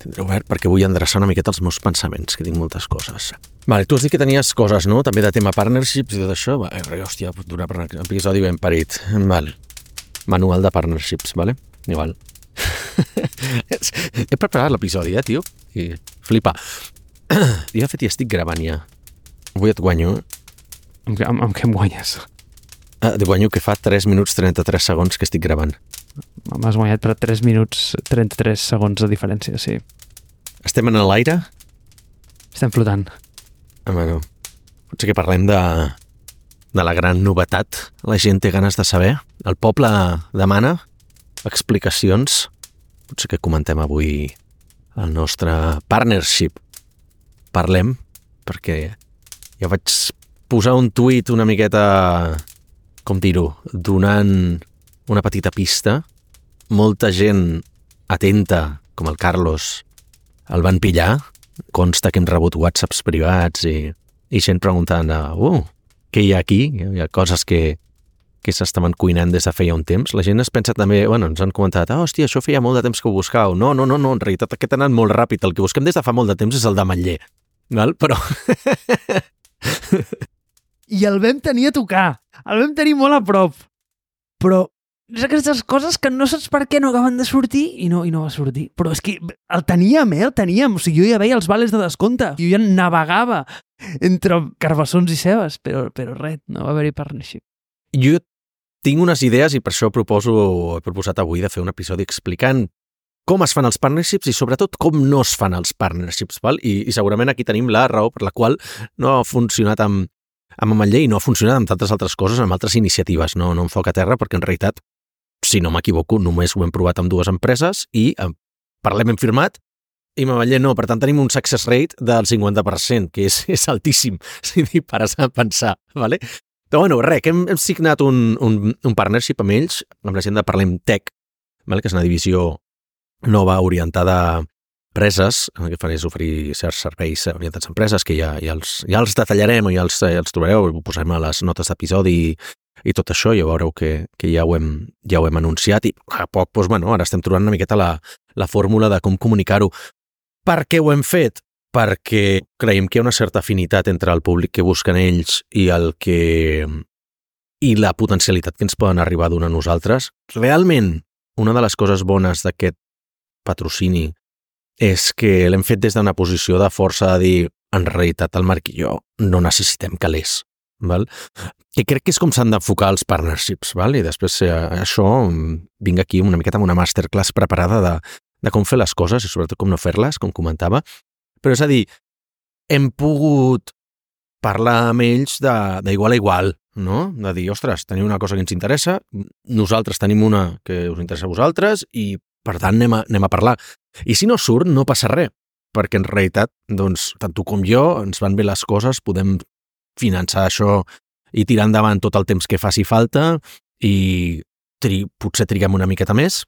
Tindré obert perquè vull endreçar una miqueta els meus pensaments, que tinc moltes coses. Vale, tu has dit que tenies coses, no? També de tema partnerships i tot això. Vale, hòstia, pot durar per un episodi ben parit. Vale. Manual de partnerships, vale? Igual. He preparat l'episodi, tio? I flipa. I de fet ja estic gravant ja. Avui et guanyo. Amb què em guanyes? Et guanyo que fa 3 minuts 33 segons que estic gravant. M'has guanyat per 3 minuts 33 segons de diferència, sí. Estem en l'aire? Estem flotant. Bueno, potser que parlem de la gran novetat. La gent té ganes de saber. El poble demana explicacions. Potser que comentem avui el nostre partnership. Parlem, perquè ja vaig posar un tuit una miqueta, com dir-ho, donant una petita pista. Molta gent atenta, com el Carlos, el van pillar. Consta que hem rebut whatsapps privats i gent preguntant què hi ha aquí? Hi ha coses que s'estaven cuinant des de feia un temps. La gent es pensa també, ens han comentat, hòstia, això feia molt de temps que ho buscàveu. No, en realitat aquest ha anat molt ràpid. El que busquem des de fa molt de temps és el d'Ametller. Val? Però... I el vam tenir a tocar. El vam tenir molt a prop. Però és aquestes coses que no saps per què no acaben de sortir i no va sortir. Però és que el teníem. O sigui, jo ja veia els vales de descompte. Jo ja navegava entre carbassons i cebes, però res, no va haver-hi partnership. Jo tinc unes idees i per això he proposat avui de fer un episodi explicant com es fan els partnerships i sobretot com no es fan els partnerships. Val? I segurament aquí tenim la raó per la qual no ha funcionat amb Ametller i no ha funcionat amb tantes altres coses, amb altres iniciatives. No em foc a terra perquè en realitat, si no m'equivoco, només ho hem provat amb 2 empreses i parlem hem firmat i Ametller no. Per tant, tenim un success rate del 50%, que és altíssim, si t'hi pares a pensar. Vale? Però res, que hem signat un partnership amb ells, amb la gent de Parlem Tech, vale? Que és una divisió nova orientada a empreses, el que fan és oferir certs serveis orientats a empreses, que ja els detallarem i ja els trobareu, ho posarem a les notes d'episodi i tot això, ja veureu que ja ho hem anunciat i a poc, ara estem trobant una miqueta la fórmula de com comunicar-ho. Per què ho hem fet? Perquè creiem que hi ha una certa afinitat entre el públic que busquen ells i la potencialitat que ens poden arribar a donar a nosaltres. Realment, una de les coses bones d'aquest patrocini és que l'hem fet des d'una posició de força de dir, en realitat el Marc i jo no necessitem calés. Val? Que crec que és com s'han d'enfocar els partnerships, val? I després això vinc aquí una miqueta amb una masterclass preparada de com fer les coses i sobretot com no fer-les, com comentava. Però és a dir, hem pogut parlar amb ells d'igual a igual, no? De dir, ostres, teniu una cosa que ens interessa, nosaltres tenim una que us interessa a vosaltres i per tant anem a parlar. I si no surt, no passa res, perquè en realitat, doncs, tant tu com jo, ens van bé les coses, podem finançar això i tirar endavant tot el temps que faci falta i potser triguem una miqueta més,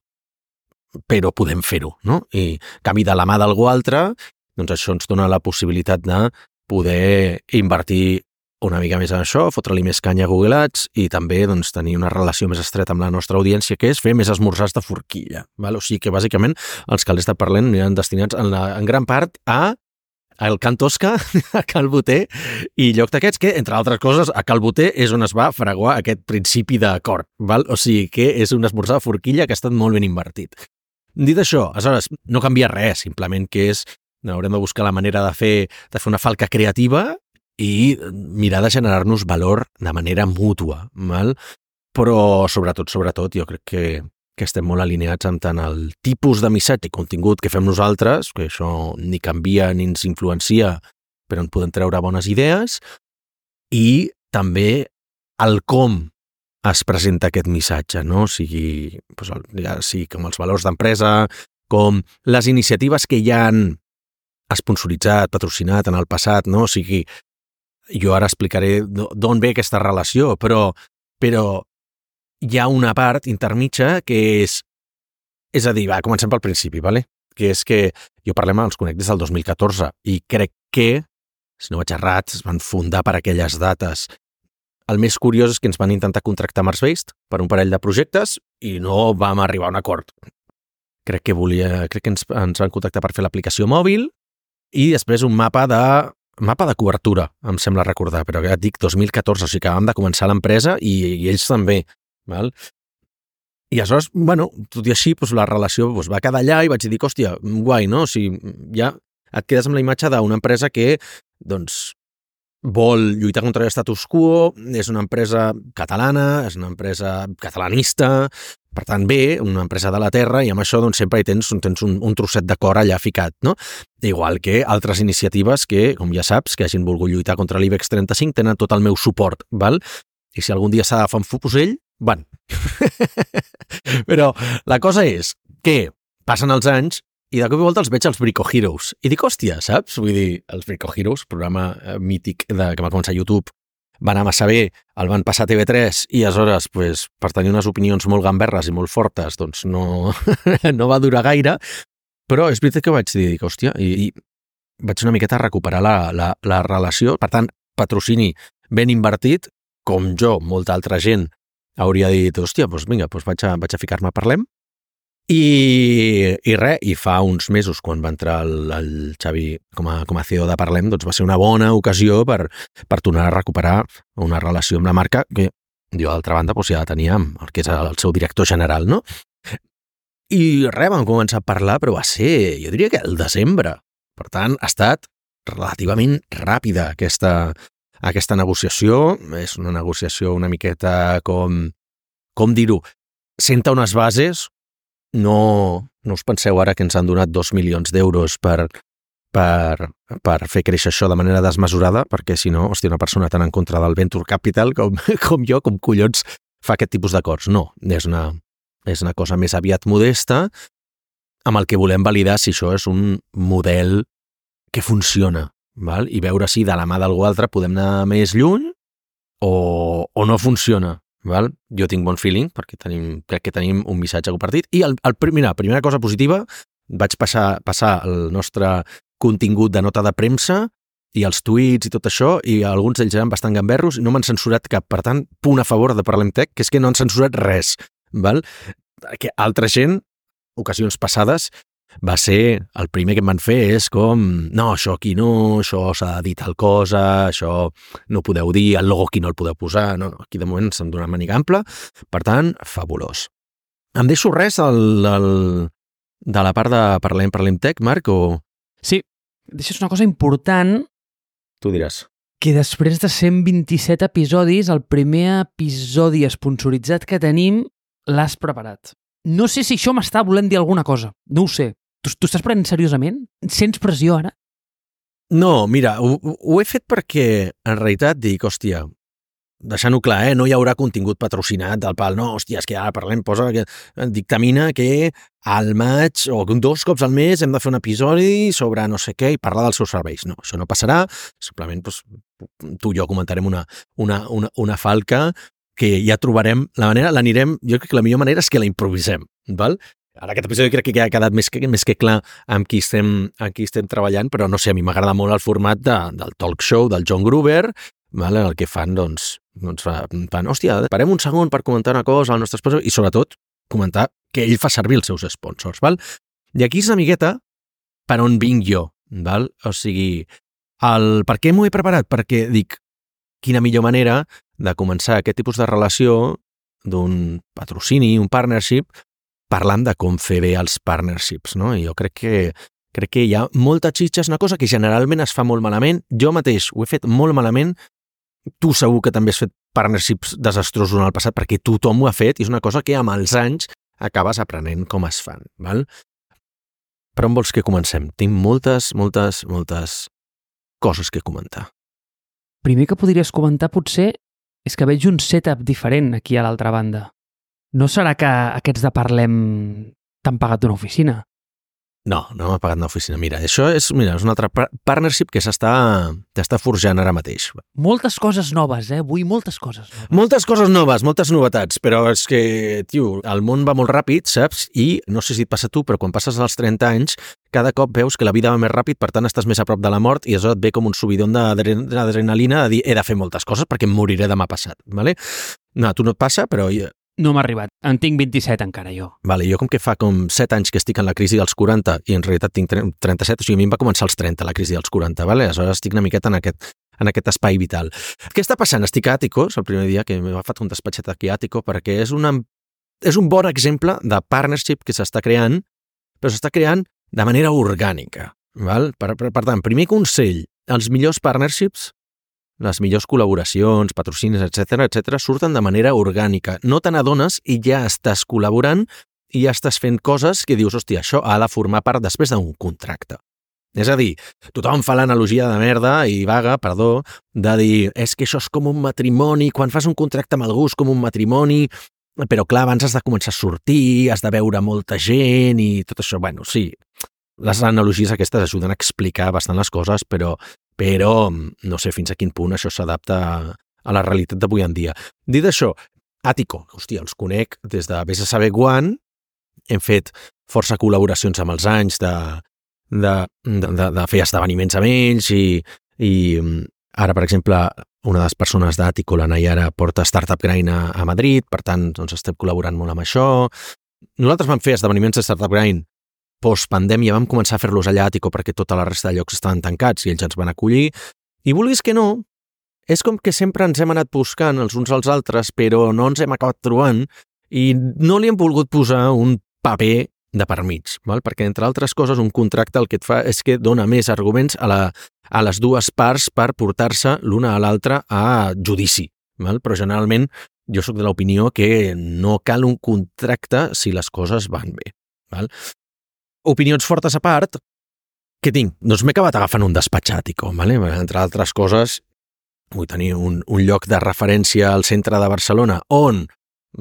però podem fer-ho, no? I en canvi de la mà d'algú altre, doncs això ens dona la possibilitat de poder invertir una mica més en això, fotre-li més canya a Google Ads i també doncs, tenir una relació més estreta amb la nostra audiència, que és fer més esmorzars de forquilla. Val? O sigui que, bàsicament, els calés de Parlem aniran destinats en gran part al Can Tosca, a Cal Boter i lloc d'aquests, que, entre altres coses, a Cal Boter és on es va fraguar aquest principi d'acord. O sigui que és un esmorzar de forquilla que ha estat molt ben invertit. Dit això, aleshores, no canvia res, simplement que haurem de buscar la manera de fer una falca creativa i mirar de generar-nos valor de manera mútua, val? Però sobretot, jo crec que estem molt alineats amb tant el tipus de missatge i contingut que fem nosaltres, que això ni canvia ni ens influencia, però en podem treure bones idees, i també el com es presenta aquest missatge, no? O sigui, com els valors d'empresa, com les iniciatives que ja han esponsoritzat, patrocinat en el passat, no? O sigui, jo ara explicaré d'on ve aquesta relació, però hi ha una part intermitja que és a dir, comencem pel principi, ¿vale? Que és que jo els conec des del 2014 i crec que, si no vaig errat, es van fundar per aquelles dates. El més curiós és que ens van intentar contractar Mars Based per un parell de projectes i no vam arribar a un acord. crec que ens van contactar per fer l'aplicació mòbil i després un mapa de cobertura, em sembla recordar, però ja et dic 2014, o sigui que vam de començar l'empresa i ells també, val? I aleshores, bueno, tot i així, doncs, la relació va quedar allà i vaig dir, hòstia, guai, no? O sigui, ja et quedes amb la imatge d'una empresa que, doncs, vol lluitar contra l'estatus quo, és una empresa catalana, és una empresa catalanista, per tant, bé, una empresa de la terra, i amb això doncs, sempre hi tens un trosset de cor allà ficat, no? Igual que altres iniciatives que, com ja saps, que hagin volgut lluitar contra l'IBEX 35 tenen tot el meu suport, val? I si algun dia s'ha d'agafar un fusell, van. Però la cosa és que passen els anys i de cop i volta els veig als Brico Heroes. I dic, hòstia, saps? Vull dir, els Brico Heroes, programa mític que va començar a YouTube, va anar massa bé, el van passar a TV3 i aleshores, pues, per tenir unes opinions molt gamberres i molt fortes, doncs no, no va durar gaire, però és veritat que vaig dir, hòstia, i vaig una miqueta a recuperar la relació. Per tant, patrocini ben invertit, com jo, molta altra gent hauria dit, hòstia, doncs vinga, doncs vaig a ficar-me a parlem. I fa uns mesos, quan va entrar el Xavi com a CEO de Parlem, doncs va ser una bona ocasió per tornar a recuperar una relació amb la marca que jo, d'altra banda, doncs ja tenia amb el que és el seu director general, no? I vam començar a parlar, però va ser, jo diria que el desembre. Per tant, ha estat relativament ràpida aquesta negociació. És una negociació una miqueta com dir-ho, senta unes bases. No us penseu ara que ens han donat 2 milions d'euros per fer créixer això de manera desmesurada, perquè si no, hòstia, una persona tan en contra del Venture Capital com jo, com collons fa aquest tipus d'acords. No, és una cosa més aviat modesta amb el que volem validar si això és un model que funciona, val? I veure si de la mà d'algú altre podem anar més lluny o no funciona. Val? Jo tinc bon feeling perquè crec que tenim un missatge compartit i primera cosa positiva, vaig passar el nostre contingut de nota de premsa i els tuits i tot això, i alguns d'ells eren bastant gamberros i no m'han censurat cap. Per tant, punt a favor de Parlem Tech, que és que no han censurat res, val? Que altra gent, ocasions passades, va ser el primer que em van fer és com, no, això aquí no, això s'ha de dir tal cosa, això no ho podeu dir, el logo aquí no el podeu posar, no, aquí de moment s'han donat màniga ampla, per tant, fabulós. Em deixo res de la part de Parlem Tech, Marc, o...? Sí, deixes una cosa important. Tu diràs. Que després de 127 episodis, el primer episodi esponsoritzat que tenim l'has preparat. No sé si això m'està volent dir alguna cosa, no ho sé. Tu estàs prenent seriosament? Sents pressió ara? No, mira, ho he fet perquè en realitat dic, hòstia, deixant-ho clar, no hi haurà contingut patrocinat del pal, no, hòstia, és que ara Parlem dictamina que al maig o 2 cops al mes hem de fer un episodi sobre no sé què i parlar dels seus serveis. No, això no passarà, simplement doncs, tu i jo comentarem una falca que ja trobarem la manera, jo crec que la millor manera és que la improvisem, val? Ara aquest episodi crec que ja ha quedat més que clar amb qui estem treballant, però no sé, a mi m'agrada molt el format del talk show del John Gruber, val? El que fan, doncs fan, hòstia, parem un segon per comentar una cosa al nostre sponsor i sobretot comentar que ell fa servir els seus sponsors, val? I aquí és una miqueta per on vinc jo, val? O sigui, per què m'ho he preparat? Perquè dic, quina millor manera de començar aquest tipus de relació d'un patrocini, un partnership, parlant de com fer bé els partnerships, no? I jo crec que hi ha molta xitxa, és una cosa que generalment es fa molt malament. Jo mateix ho he fet molt malament. Tu segur que també has fet partnerships desastrosos en el passat perquè tothom ho ha fet i és una cosa que amb els anys acabes aprenent com es fan, val? Per on vols que comencem? Tinc moltes coses que comentar. Primer que podries comentar potser és que veig un setup diferent aquí a l'altra banda. No serà que aquests de Parlem t'han pagat una oficina? No m'ha pagat una oficina. Mira, això és un altre partnership que s'està forjant ara mateix. Moltes coses noves, avui moltes coses noves. Moltes coses noves, moltes novetats, però és que, tio, el món va molt ràpid, saps? I no sé si et passa a tu, però quan passes als 30 anys, cada cop veus que la vida va més ràpid, per tant estàs més a prop de la mort i això et ve com un subidon d'adrenalina de dir he de fer moltes coses perquè em moriré demà passat, ¿vale? No, a tu no et passa, però No m'ha arribat. En tinc 27 encara, jo. Vale, jo com que fa com 7 anys que estic en la crisi dels 40 i en realitat tinc 37, o sigui, a mi em va començar als 30 la crisi dels 40, vale? Aleshores estic una miqueta en aquest espai vital. Què està passant? Estic a Àticos, el primer dia que m'ha fet un despatxet aquí a Àtico, perquè és un bon exemple de partnership que s'està creant, però s'està creant de manera orgànica. Val? Per tant, primer consell, els millors partnerships, les millors col·laboracions, patrocinis, etc surten de manera orgànica. No te n'adones i ja estàs col·laborant i ja estàs fent coses que dius, hòstia, això ha de formar part després d'un contracte. És a dir, tothom fa l'analogia de merda i vaga, perdó, de dir, és que això és com un matrimoni, quan fas un contracte amb algú és com un matrimoni, però clar, abans has de començar a sortir, has de veure molta gent i tot això. Bueno, sí, les analogies aquestes ajuden a explicar bastant les coses, però no sé fins a quin punt això s'adapta a la realitat d'avui en dia. Dit això, Àtico, hòstia, els conec des de vés a saber quan, hem fet força col·laboracions amb els anys de fer esdeveniments amb ells i ara, per exemple, una de les persones d'Àtico, la Nayara, porta Startup Grind a Madrid, per tant, doncs estem col·laborant molt amb això. Nosaltres vam fer esdeveniments de Startup Grind post-pandèmia, vam començar a fer-los allà a Àtico perquè tota la resta de llocs estaven tancats i ells ens van acollir. I vulguis que no, és com que sempre ens hem anat buscant els uns als altres, però no ens hem acabat trobant i no li hem volgut posar un paper de per mig, val? Perquè, entre altres coses, un contracte el que et fa és que dona més arguments a les dues parts per portar-se l'una a l'altra a judici. Val? Però generalment jo sóc de l'opinió que no cal un contracte si les coses van bé. Val? Opinions fortes a part, què tinc? Doncs m'he acabat agafant un despatx a Àtico, vale? Entre altres coses, vull tenir un lloc de referència al centre de Barcelona on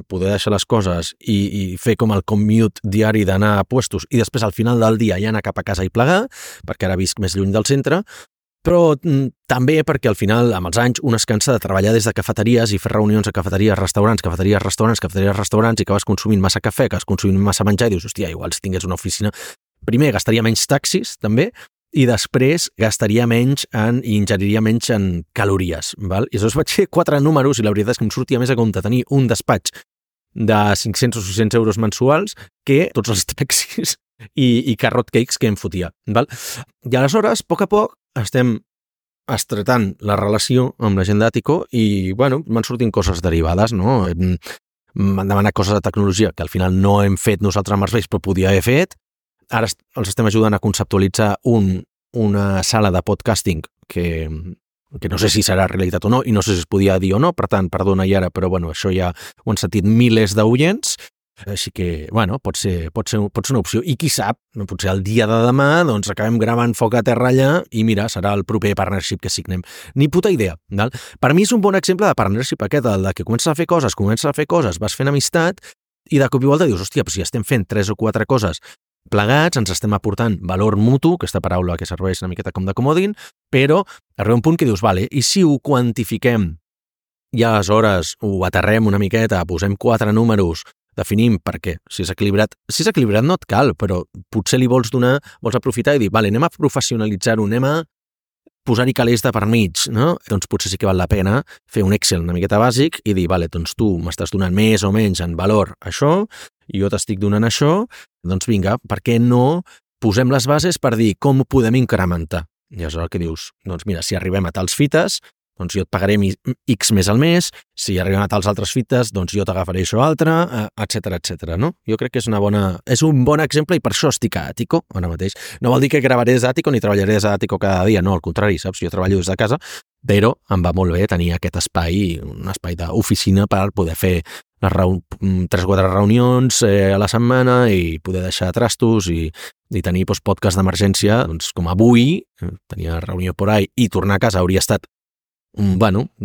poder deixar les coses i fer com el commute diari d'anar a puestos i després al final del dia ja anar cap a casa i plegar, perquè ara visc més lluny del centre, però també perquè al final, amb els anys, un es cansa de treballar des de cafeteries i fer reunions a cafeteries, restaurants, i acabes consumint massa cafè, acabes consumint massa menjar i dius, hòstia, igual si tingués una oficina, primer gastaria menys taxis, també, i després gastaria menys i ingeriria menys en calories. Val? I llavors vaig fer 4 números i la veritat és que em sortia més a compte tenir un despatx de 500 o 600 euros mensuals que tots els taxis i carrot cakes que em fotia. Val? I aleshores, a poc, estem estretant la relació amb la gent d'Àtico i, bueno, m'han sortint coses derivades, no? M'han demanat coses de tecnologia que al final no hem fet nosaltres amb els vells, però podia haver fet. Ara els estem ajudant a conceptualitzar una sala de podcasting que no sé si serà realitat o no i no sé si es podia dir o no, per tant, perdona Iara, però bueno, això ja ho han sentit milers d'oients, així que, bueno, pot ser una opció. I qui sap, potser el dia de demà doncs acabem gravant Foc a Terra allà i mira, serà el proper partnership que signem. Ni puta idea. Val? Per mi és un bon exemple de partnership aquest, el de que comences a fer coses, vas fent amistat i de cop i volta dius, hòstia, però si estem fent 3 o 4 coses plegats, ens estem aportant valor mutu, aquesta paraula que serveix una miqueta com de comodín, però arriba un punt que dius, vale, i si ho quantifiquem i aleshores ho aterrem una miqueta, posem 4 números, definim per què. Si és equilibrat no et cal, però potser li vols aprofitar i dir, vale, anem a professionalitzar-ho, anem a posar-hi calés de per mig, no? Doncs potser sí que val la pena fer un Excel una miqueta bàsic i dir, vale, doncs tu m'estàs donant més o menys en valor això, i jo t'estic donant això, doncs vinga, per què no posem les bases per dir com ho podem incrementar? I aleshores què dius? Doncs mira, si arribem a tals fites, doncs jo et pagaré X més al mes, si arribem a tals altres fites, doncs jo t'agafaré això altre, etc, no? Jo crec que és un bon exemple i per això estic a Àtico ara mateix. No vol dir que gravaré des d'Àtico ni treballaré des d'Àtico cada dia, no, al contrari, saps? Jo treballo des de casa, però em va molt bé tenir aquest espai, un espai d'oficina per poder fer 3 o 4 reunions a la setmana i poder deixar trastos i tenir podcast d'emergència, doncs com avui, tenia reunió por ahí i tornar a casa hauria estat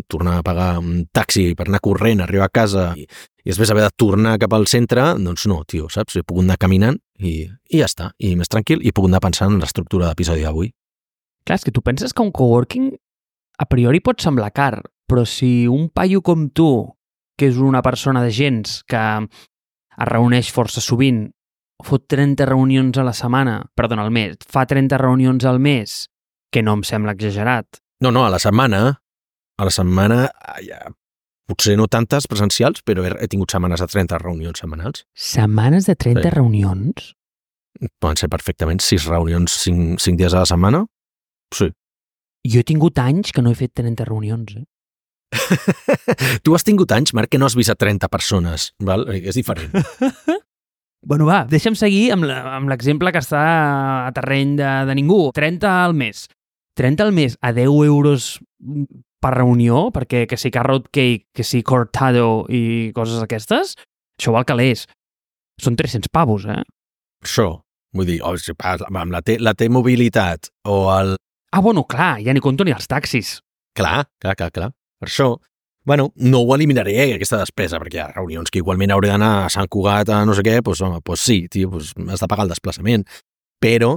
tornar a pagar un taxi per anar corrent, arribar a casa i després haver de tornar cap al centre, doncs no, tio, saps? He pogut anar caminant i ja està, i més tranquil, i he pogut anar pensant en l'estructura d'episodi d'avui. Clar, és que tu penses que un coworking a priori pot semblar car, però si un paio com tu, que és una persona de gens que es reuneix força sovint, fot 30 reunions a la setmana, perdona, al mes, fa 30 reunions al mes, que no em sembla exagerat. No, a la setmana Potser no tantes presencials, però he tingut setmanes de 30 reunions setmanals. Setmanes de 30 Sí. reunions? Poden ser perfectament 6 reunions 5 dies a la setmana. Sí. Jo he tingut anys que no he fet 30 reunions, Tu has tingut anys, Marc, que no has vist a 30 persones, val? És diferent. Bueno, va, deixa'm seguir amb l'exemple que està a terreny de ningú. 30 al mes. 30 al mes a 10 euros per reunió, perquè que si carrot cake, que si cortado i coses aquestes, això val calés. Són 300 pavos, Això, vull dir, amb la T-mobilitat o el... Ah, bueno, clar, ja ni compto ni els taxis. Clar. Per això, bueno, no ho eliminaré, aquesta despesa, perquè hi ha reunions que igualment hauré d'anar a Sant Cugat, a no sé què, doncs, home, doncs sí, tio, doncs has de pagar el desplaçament. Però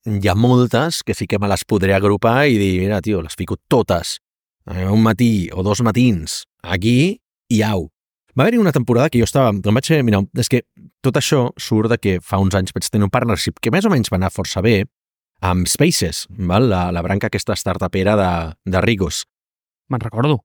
hi ha moltes que sí que me les podré agrupar i dir, mira, tio, les fico totes un matí o 2 matins aquí i au. Va haver-hi una temporada que jo estava... Em vaig fer, mira, és que tot això surt de que fa uns anys vaig tenir un partnership que més o menys va anar força bé amb Spaces, val? La branca aquesta startupera de Rigos. Me'n recordo.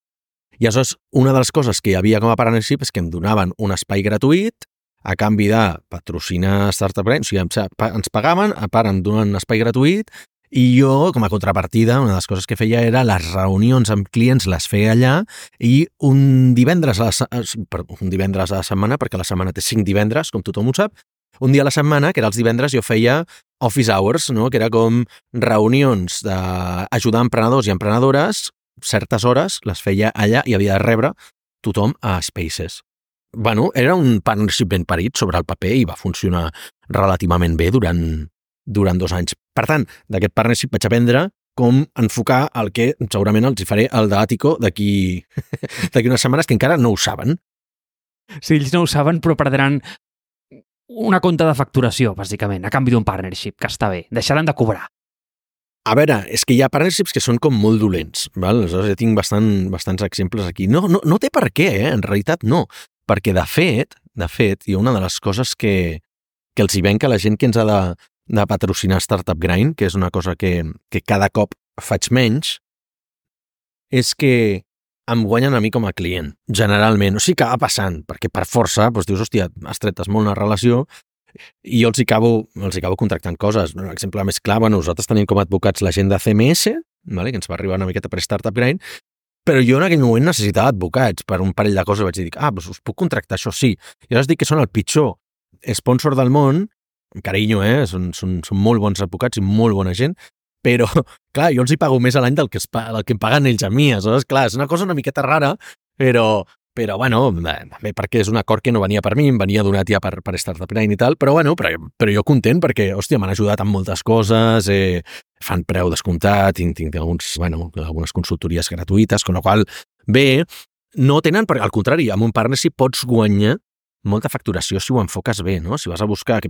I aleshores, una de les coses que hi havia com a partnership és que em donaven un espai gratuït a canvi de patrocinar Startup Grind, o sigui, ens pagaven, a part em donaven un espai gratuït i jo, com a contrapartida, una de les coses que feia era les reunions amb clients les feia allà i un divendres a la setmana, perquè la setmana té 5 divendres, com tothom ho sap, un dia a la setmana, que era els divendres, jo feia office hours, no? Que era com reunions d'ajudar emprenedors i emprenedores, certes hores les feia allà i havia de rebre tothom a Spaces. Bueno, era un partnership ben parit sobre el paper i va funcionar relativament bé durant 2 anys. Per tant, d'aquest partnership vaig aprendre com enfocar el que segurament els hi faré al d'Àtico d'aquí unes setmanes, que encara no ho saben. Sí, ells no ho saben, però perdran una compta de facturació, bàsicament, a canvi d'un partnership, que està bé. Deixaran de cobrar. A veure, és que hi ha partnerships que són com molt dolents, val? Aleshores, jo tinc bastants exemples aquí. No té per què, en realitat no. Perquè, de fet, hi ha una de les coses que els hi venc a la gent que ens ha de patrocinar Startup Grind, que és una cosa que cada cop faig menys, és que em guanyen a mi com a client, generalment. O sigui que va passant, perquè per força doncs dius, hòstia, estretes molt una relació i jo els hi acabo contractant coses. Un exemple més clar, bueno, nosaltres tenim com a advocats la gent de CMS, vale, que ens va arribar una miqueta per Startup Grind, però jo en aquell moment necessitava advocats per un parell de coses. Vaig dir, doncs us puc contractar, això sí. I ara us dic que són el pitjor sponsor del món, carinyo, són molt bons advocats i molt bona gent, però, clar, jo els hi pago més a l'any del que em paguen ells a mi. Aleshores, clar, és una cosa una miqueta rara, però bueno, bé, perquè és un acord que no venia per mi, em venia donat ja per Startup Grind i tal, però bueno, però jo content perquè, hòstia, m'han ajudat amb moltes coses, fan preu descomptat, tinc algunes consultories gratuïtes, con la qual bé, no tenen, perquè al contrari, amb un partnership pots guanyar molta facturació si ho enfoques bé, no? Si vas a buscar...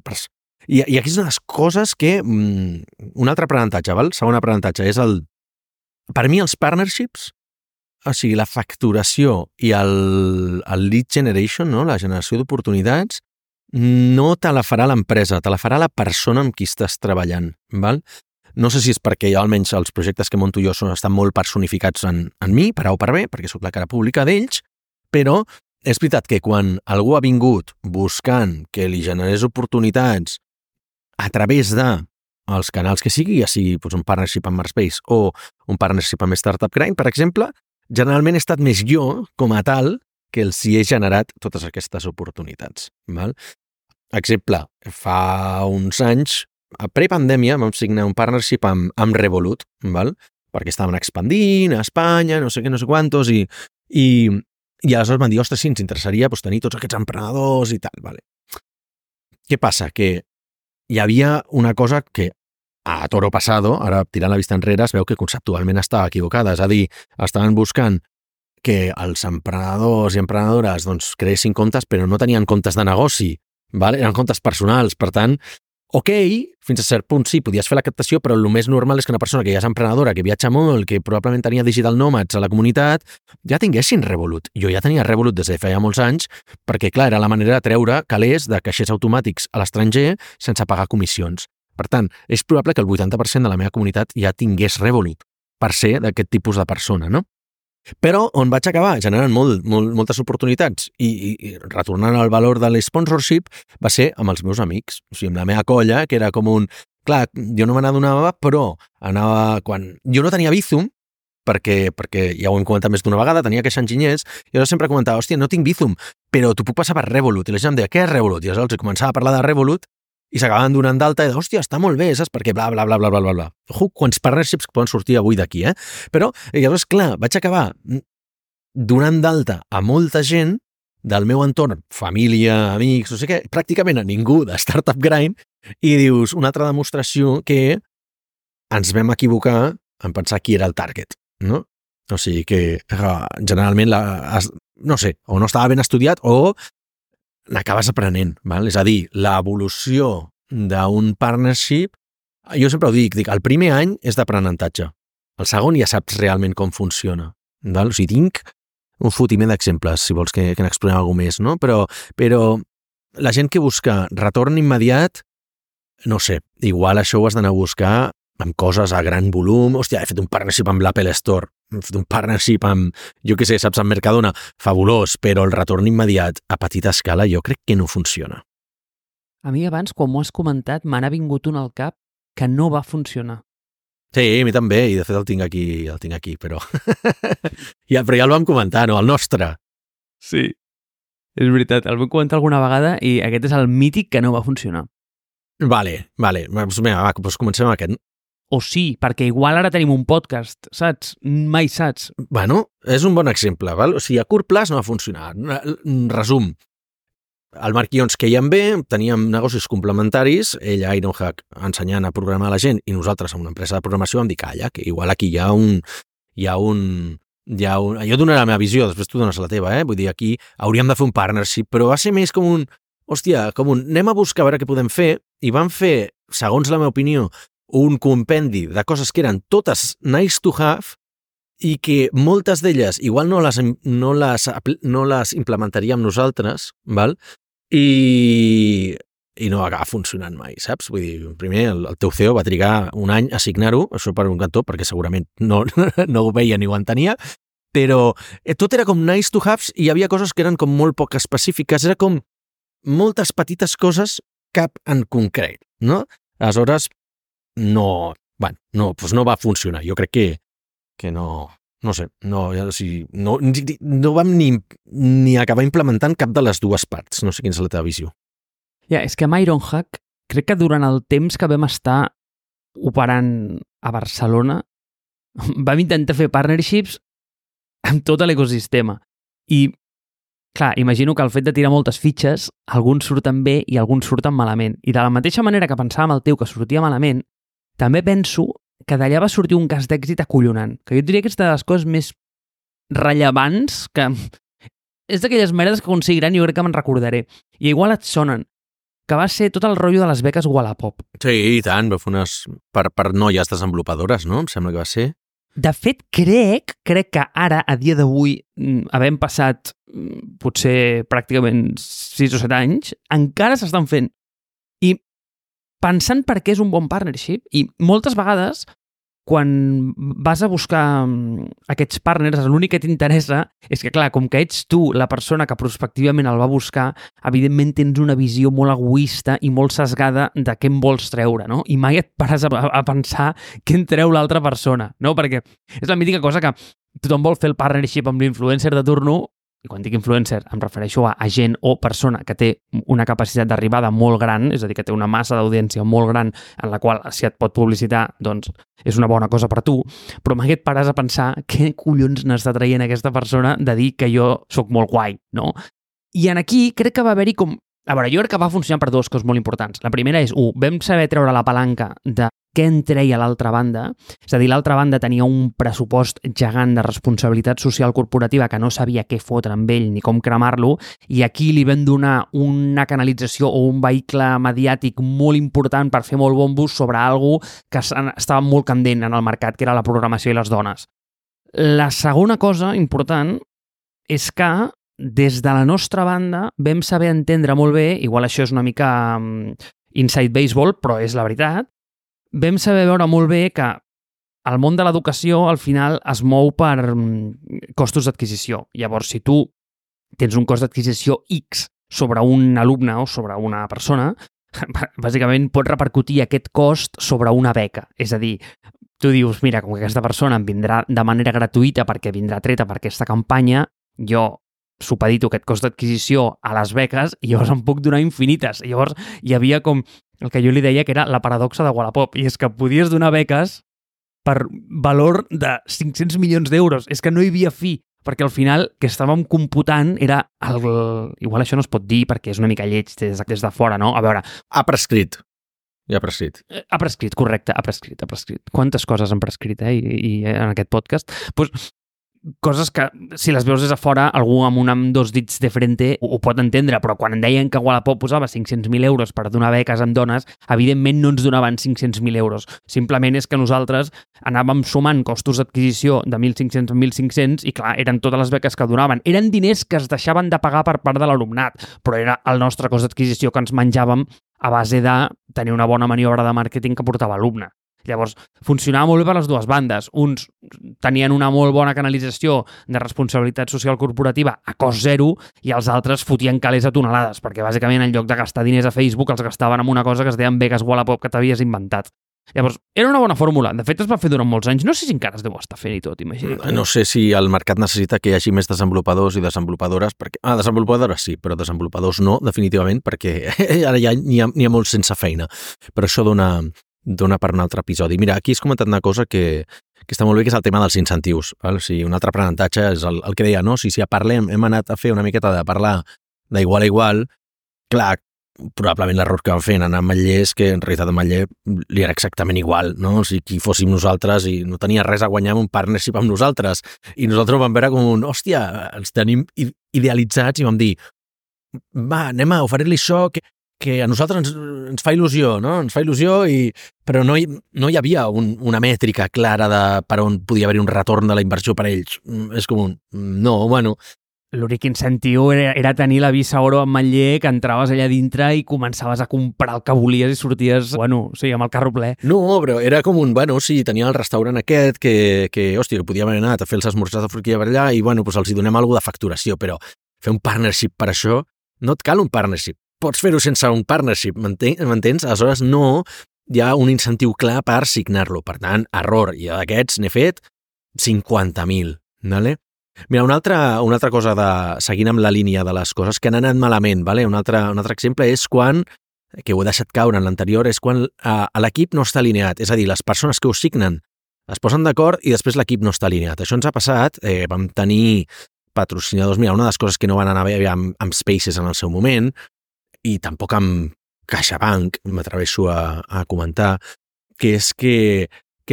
I aquí és una de les coses que... Un altre aprenentatge, val? Segon aprenentatge és per mi els partnerships, o sigui, la facturació i el lead generation, no? La generació d'oportunitats, no te la farà l'empresa, te la farà la persona amb qui estàs treballant, val? No sé si és perquè jo, almenys els projectes que monto jo estan molt personificats en mi, per A o per B, perquè sóc la cara pública d'ells, però és veritat que quan algú ha vingut buscant que li generés oportunitats a través dels canals que sigui, ja sigui un partnership amb Marspace o un partnership amb Startup Grind, per exemple, generalment he estat més jo, com a tal, que els hi he generat totes aquestes oportunitats. Val? Exemple, fa uns anys, a prepandèmia, vam signar un partnership amb Revolut, val? Perquè estaven expandint a Espanya, no sé què, no sé quantos, i aleshores van dir, ostres, sí, ens interessaria tenir tots aquests emprenedors i tal. Vale. Què passa? Que hi havia una cosa que a toro pasado, ara tirant la vista enrere, es veu que conceptualment estava equivocada. És a dir, estaven buscant que els emprenedors i emprenedores creessin comptes, però no tenien comptes de negoci, vale? Eren comptes personals. Per tant, ok, fins a cert punt sí, podies fer la captació, però el més normal és que una persona que ja és emprenedora, que viatja molt, que probablement tenia digital nomads a la comunitat, ja tinguessin Revolut. Jo ja tenia Revolut des de feia molts anys, perquè, clar, era la manera de treure calés de caixers automàtics a l'estranger sense pagar comissions. Per tant, és probable que el 80% de la meva comunitat ja tingués Revolut, per ser d'aquest tipus de persona, no? Però on vaig acabar generant moltes oportunitats i retornant al valor de l'sponsorship va ser amb els meus amics, o sigui, amb la meva colla, que era com un... Clar, jo no me n'adonava, però anava... Quan jo no tenia Bizum, perquè ja ho hem comentat més d'una vegada, tenia queixa enginyers, i jo sempre comentava, hòstia, no tinc Bizum, però t'ho puc passar per Revolut. I la gent em deia, què és Revolut? I aleshores començava a parlar de Revolut i s'acabaven donant d'alta i de, hòstia, està molt bé, saps? Perquè bla, bla, bla, bla, bla, bla, bla. Ojo, quants partnerships poden sortir avui d'aquí, Però, llavors, clar, vaig acabar donant d'alta a molta gent del meu entorn, família, amics, no sé què, pràcticament a ningú de Startup Grind, i dius, una altra demostració que ens vam equivocar en pensar qui era el target, no? O sigui que generalment, no sé, o no estava ben estudiat o n'acabes aprenent, val? És a dir, l'evolució d'un partnership, jo sempre ho dic, el primer any és d'aprenentatge, el segon ja saps realment com funciona, val? O sigui, tinc un fotiment d'exemples, si vols que n'explorem alguna més, no? Però la gent que busca retorn immediat, no sé, igual això ho has d'anar a buscar amb coses a gran volum. Hòstia, he fet un partnership amb l'Apple Store, he fet un partnership amb, jo què sé, saps, amb Mercadona, fabulós, però el retorn immediat a petita escala jo crec que no funciona. A mi abans, quan m'ho has comentat, me n'ha vingut un al cap que no va funcionar. Sí, a mi també, i de fet el tinc aquí, però... però ja el vam comentar, no? El nostre. Sí, és veritat, el vam comentar alguna vegada i aquest és el mític que no va funcionar. Vale. Doncs comencem amb aquest. O sí, perquè igual ara tenim un podcast, saps? Mai saps. Bueno, és un bon exemple, val? O sigui, a curt plaç no va funcionar. Resum. El Marc i jo ens quèiem bé, teníem negocis complementaris, ell a Ironhack ensenyant a programar a la gent i nosaltres amb una empresa de programació vam dir, calla, que igual aquí hi ha un... Jo donaré la meva visió, després tu dones la teva, Vull dir, aquí hauríem de fer un partnership, però va ser més com un... Hòstia, anem a buscar a veure què podem fer, i vam fer, segons la meva opinió, un compendi de coses que eren totes nice to have i que moltes d'elles igual no les implementaríem nosaltres, val? I no va acabar funcionant mai, saps? Vull dir, primer el teu CEO va trigar un any a signar-ho, això per un cantó, perquè segurament no ho veia ni ho entenia, però tot era com nice to have i hi havia coses que eren com molt poc específiques, era com moltes petites coses, cap en concret, no? Aleshores, no va funcionar. Jo crec que no sé, no vam ni acabar implementant cap de les dues parts. No sé quina és la teva visió. És que amb Ironhack, crec que durant el temps que vam estar operant a Barcelona, vam intentar fer partnerships amb tot l'ecosistema. I clar, imagino que el fet de tirar moltes fitxes, alguns surten bé i alguns surten malament. I de la mateixa manera que pensàvem el teu que sortia malament, també penso que d'allà va sortir un cas d'èxit acollonant, que jo diria que és de les coses més rellevants, que és d'aquelles merdes que aconseguiran i jo crec que me'n recordaré. I igual et sonen, que va ser tot el rotllo de les beques Wallapop. Sí, i tant, va fer unes per noies desenvolupadores, no? Em sembla que va ser. De fet, crec que ara, a dia d'avui, havent passat potser pràcticament 6 o 7 anys, encara s'estan fent. I pensant per què és un bon partnership, i moltes vegades, quan vas a buscar aquests partners, l'únic que t'interessa és que, clar, com que ets tu la persona que prospectivament el va buscar, evidentment tens una visió molt egoista i molt sesgada de què en vols treure, no? I mai et pares a pensar què en treu l'altra persona, no? Perquè és la mítica cosa que tothom vol fer el partnership amb l'influencer de turno, i quan dic influencer em refereixo a gent o persona que té una capacitat d'arribada molt gran, és a dir, que té una massa d'audiència molt gran en la qual si et pot publicitar, doncs és una bona cosa per tu, però mai et pares a pensar què collons n'està traient aquesta persona de dir que jo sóc molt guai, no? I en aquí crec que va haver-hi com... A veure, jo crec que va funcionar per dues coses molt importants. La primera és, vam saber treure la palanca de què en treia l'altra banda, és a dir, l'altra banda tenia un pressupost gegant de responsabilitat social corporativa que no sabia què fotre amb ell ni com cremar-lo, i aquí li vam donar una canalització o un vehicle mediàtic molt important per fer molt bon bus sobre algo que estava molt candent en el mercat, que era la programació i les dones. La segona cosa important és que des de la nostra banda vam saber entendre molt bé, igual això és una mica inside baseball, però és la veritat, vam saber veure molt bé que el món de l'educació al final es mou per costos d'adquisició. Llavors, si tu tens un cost d'adquisició X sobre un alumne o sobre una persona, bàsicament pot repercutir aquest cost sobre una beca. És a dir, tu dius, mira, com que aquesta persona em vindrà de manera gratuïta perquè vindrà treta per aquesta campanya, jo supedito aquest cost d'adquisició a les beques i llavors em puc donar infinites. I llavors hi havia com el que jo li deia que era la paradoxa de Wallapop, i és que podies donar beques per valor de 500 milions d'euros. És que no hi havia fi, perquè al final que estàvem computant era igual això no es pot dir perquè és una mica lleig des de fora, no? A veure... Ha prescrit. Ja ha prescrit. Ha prescrit, correcte, ha prescrit. Quantes coses han prescrit, i en aquest podcast? Doncs coses que, si les veus des de fora, algú amb dos dits de frente ho pot entendre, però quan deien que Wallapop posava 500.000 euros per donar beques en dones, evidentment no ens donaven 500.000 euros. Simplement és que nosaltres anàvem sumant costos d'adquisició de 1.500 a 1.500 i, clar, eren totes les beques que donaven. Eren diners que es deixaven de pagar per part de l'alumnat, però era el nostre cost d'adquisició que ens menjàvem a base de tenir una bona maniobra de màrqueting que portava l'alumne. Llavors, funcionava molt bé per les dues bandes. Uns tenien una molt bona canalització de responsabilitat social corporativa a cost zero i els altres fotien calés a tonelades, perquè bàsicament en lloc de gastar diners a Facebook els gastaven en una cosa que es deien beques Wallapop que t'havies inventat. Llavors, era una bona fórmula. De fet, es va fer durant molts anys. No sé si encara es deu estar fent i tot, imagina't. No sé si el mercat necessita que hi hagi més desenvolupadors i desenvolupadores, perquè... desenvolupadores sí, però desenvolupadors no, definitivament, perquè ara ja n'hi ha molts sense feina. Però això dona per un altre episodi. Mira, aquí has comentat una cosa que està molt bé, que és el tema dels incentius. Val? O sigui, un altre aprenentatge és el que deia, no? Si parlem, hem anat a fer una miqueta de parlar d'igual a igual, clar, probablement l'error que vam fer en anar amb Matller és que en realitat a Matller li era exactament igual, no? O sigui, qui fóssim nosaltres i no tenia res a guanyar amb un partnership amb nosaltres. I nosaltres ho vam veure com un, hòstia, ens tenim idealitzats i vam dir, va, anem a oferir-li això que a nosaltres ens fa il·lusió, no? Ens fa il·lusió, però no hi havia una mètrica clara de per on podia haver-hi un retorn de la inversió per a ells. És com un... No, bueno... L'únic incentiu era tenir la Visa Oro amb Matller, que entraves allà dintre i començaves a comprar el que volies i sorties, bueno, sí, amb el carro ple. No, però era com un, bueno, sí, tenia el restaurant aquest que hòstia, que podíem haver anat a fer els esmorzars de forquilla per allà i, bueno, doncs els hi donem alguna de facturació, però fer un partnership per això, no et cal un partnership. Pots fer-ho sense un partnership, m'entens? Aleshores no hi ha un incentiu clar per signar-lo. Per tant, error. I d'aquests n'he fet 50.000. Vale? Mira, una altra cosa, seguint amb la línia de les coses que han anat malament, vale? Un altre exemple és quan, que ho he deixat caure en l'anterior, és quan l'equip no està alineat. És a dir, les persones que ho signen es posen d'acord i després l'equip no està alineat. Això ens ha passat. Vam tenir patrocinadors. Mira, una de les coses que no van anar bé amb Spaces en el seu moment, i tampoc amb CaixaBank, m'atreveixo a comentar, que és que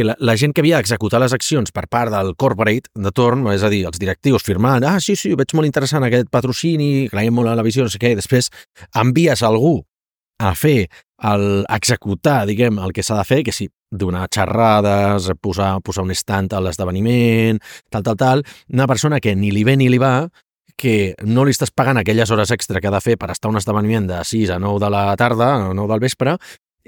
la gent que havia d'executar les accions per part del corporate de torn, és a dir, els directius firmant, sí, ho veig molt interessant aquest patrocini, creiem molt a la visió, no sé què, i després envies algú a fer, a executar, diguem, el que s'ha de fer, que sí, donar xerrades, posar un stand a l'esdeveniment, tal, una persona que ni li ve ni li va, que no li estàs pagant aquelles hores extra que ha de fer per estar a un esdeveniment de 6 a 9 de la tarda, a 9 del vespre,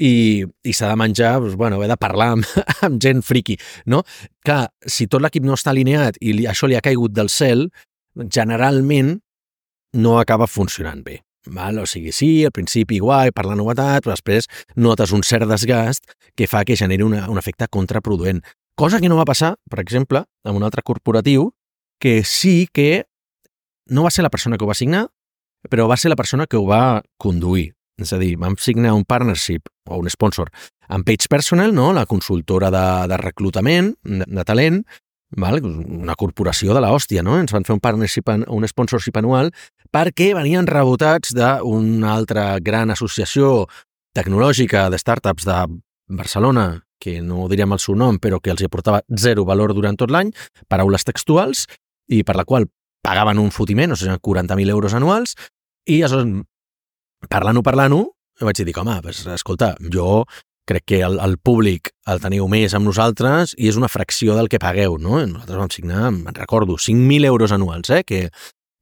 i s'ha de menjar, doncs, bueno, he de parlar amb gent friqui, no? Clar, si tot l'equip no està alineat i això li ha caigut del cel, generalment no acaba funcionant bé. Val? O sigui, sí, al principi guai, per la novetat, però després notes un cert desgast que fa que generi un efecte contraproduent. Cosa que no va passar, per exemple, amb un altre corporatiu, que sí que no va ser la persona que ho va signar, però va ser la persona que ho va conduir. És a dir, vam signar un partnership o un sponsor amb Page Personnel, no? La consultora de reclutament, de talent, val? Una corporació de l'hòstia, no? Ens van fer un sponsorship anual perquè venien rebotats d'una altra gran associació tecnològica de startups de Barcelona, que no diríem el seu nom, però que els aportava zero valor durant tot l'any, paraules textuals, i per la qual pagaven un fotiment, o sigui, 40.000 euros anuals, i aleshores, parlant-ho, vaig dir, home, pues, escolta, jo crec que el públic el teniu més amb nosaltres i és una fracció del que pagueu, no? Nosaltres vam signar, me'n recordo, 5.000 euros anuals, que